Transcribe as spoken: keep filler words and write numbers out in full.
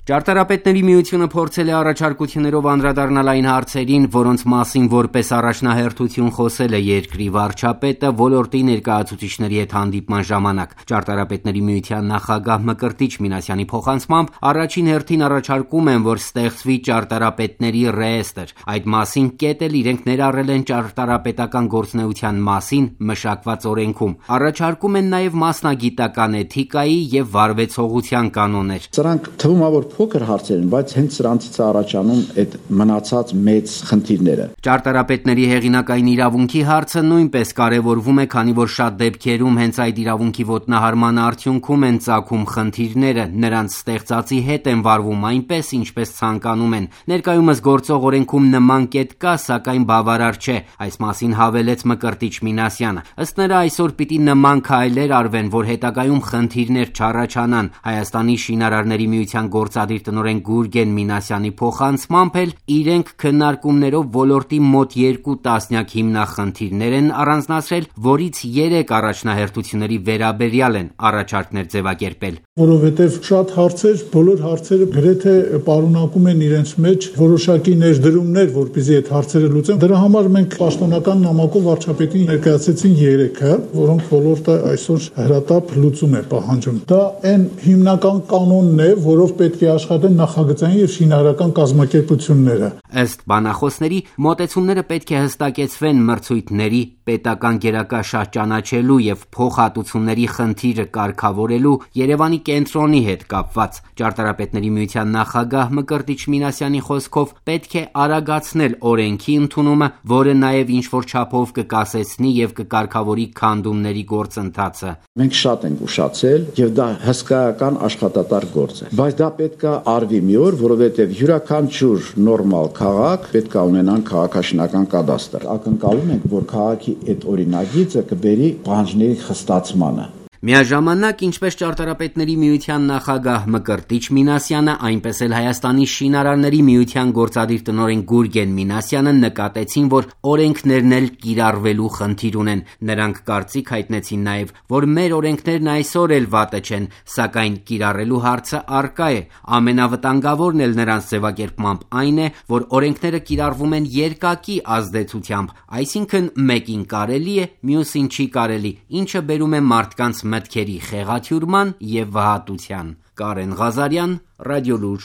Ճարտարապետների միությունը փորձել է առաջարկություններով անդրադառնալ այն հարցերին, որոնց մասին որպես առաջնահերթություն խոսել է երկրի վարչապետը ոլորտի ներկայացուցիչների հետ հանդիպման ժամանակ։ Ճարտարապետների միության նախագահ Մկրտիչ Մինասյանի փոխանցմամբ առաջին հերթին առաջարկում են, որ ստեղծվի ճարտարապետների ռեեստրը։ Այդ մասին կետ էլ իրենք ներառել են ճարտարապետական գործունեության մասին մշակված օրենքում։ Առաջարկում են նաև մասնագիտական էթիկայի եւ վարվեցողության կանոններ։ Սրանք թվում է, որ փոքր հարցեր են, բայց հենց սրանցից է առաջանում այդ մնացած մեծ խնդիրները։ Ճարտարապետների հեղինակային իրավունքի հարցը նույնպես կարևորվում է, քանի որ շատ դեպքերում հենց այդ իրավունքի ոտնահարման արդյունքում են ծագում խնդիրները, նրանց ստեղծածի հետ են վարվում այնպես, ինչպես ցանկանում են։ Ներկայումս գործող օրենքում նման կետ կա, սակայն բավարար չէ, այս մասին հավելեց Մկրտիչ Մինասյանը։ Ըստ նրա, այսօր պիտի նման քայլեր արվեն, որ հետագայում խնդիրներ չառաջանան։ Հայաստանի շինարարների միության գործադիր տնօրեն Գուրգեն Մինասյանի փոխանցմամբ էլ իրենք քննարկումներով ոլորտի մոտ երկու տասնյակ հիմնախնդիրներ են առանձնացրել, որից երեք առաջնահերթությունների վերաբերյալ են առաջարկներ ձևակերպել։ Որովհետև շատ հարցեր, բոլոր հարցերը գրեթե պարունակում են իրենց մեջ որոշակի ներդրումներ, որպեսզի այդ հարցերը լուծեն։ Դրա համար մենք պաշտոնական նամակով վարչապետին ներկայացրեցին երեքը, որոնք ոլորտը այսօր հրատապ լուծում է պահանջում։ Դա այն հիմնական կանոնն է, որով պետք է աշխատեն նախագծային եւ շինարարական կազմակերպությունները։ Ըստ բանախոսների, մոտեցումները պետք է հստակեցվեն մրցույթների, պետական գերակաշահ ճանաչելու եւ փոխհատուցումների խնդիրը կարգավորելու Երևանի կենտրոնի հետ կապված։ Ճարտարապետների միության նախագահ Մկրտիչ Մինասյանի խոսքով պետք է արագացնել օրենքի ընդունումը, որը նաեւ ինչ-որ չափով կկասեցնի եւ կկարգավորի քանդումների գործընթացը։ Մենք շատ ենք ուշացել եւ դա հսկայական աշխատատար գործ է, բայց դա պետք է արվի մի օր, որովհետեւ յուրաքանչյուր նորմալ քաղաք պետք է ունենան քաղաքաշինական կադաստր։ Ակնկալում ենք, որ քաղաքի այդ օրինագիծը կբերի պահանջների խստացմանը։ Միաժամանակ, ինչպես ճարտարապետների միության նախագահ Մկրտիչ Մինասյանը, այնպես էլ Հայաստանի շինարարների միության գործադիր տնօրեն Գուրգեն Մինասյանը նկատեցին, որ օրենքներն էլ կիրառվելու խնդիր ունեն։ Նրանք կարծիք հայտնեցին նաև, որ մեր օրենքներն այսօր էլ վատը չեն, սակայն կիրառելու հարցը առկա է։ Ամենավտանգավորն էլ նրանց ձևակերպմամբ այն է, որ օրենքները կիրառվում են երկակի ազդեցությամբ, այսինքն մեկին կարելի է, մյուսին չի կարելի, ինչը բերում է մարդկանց մտքերի խեղաթյուրման և վհատության։ Կարեն Ղազարյան, Ռադիոլուր։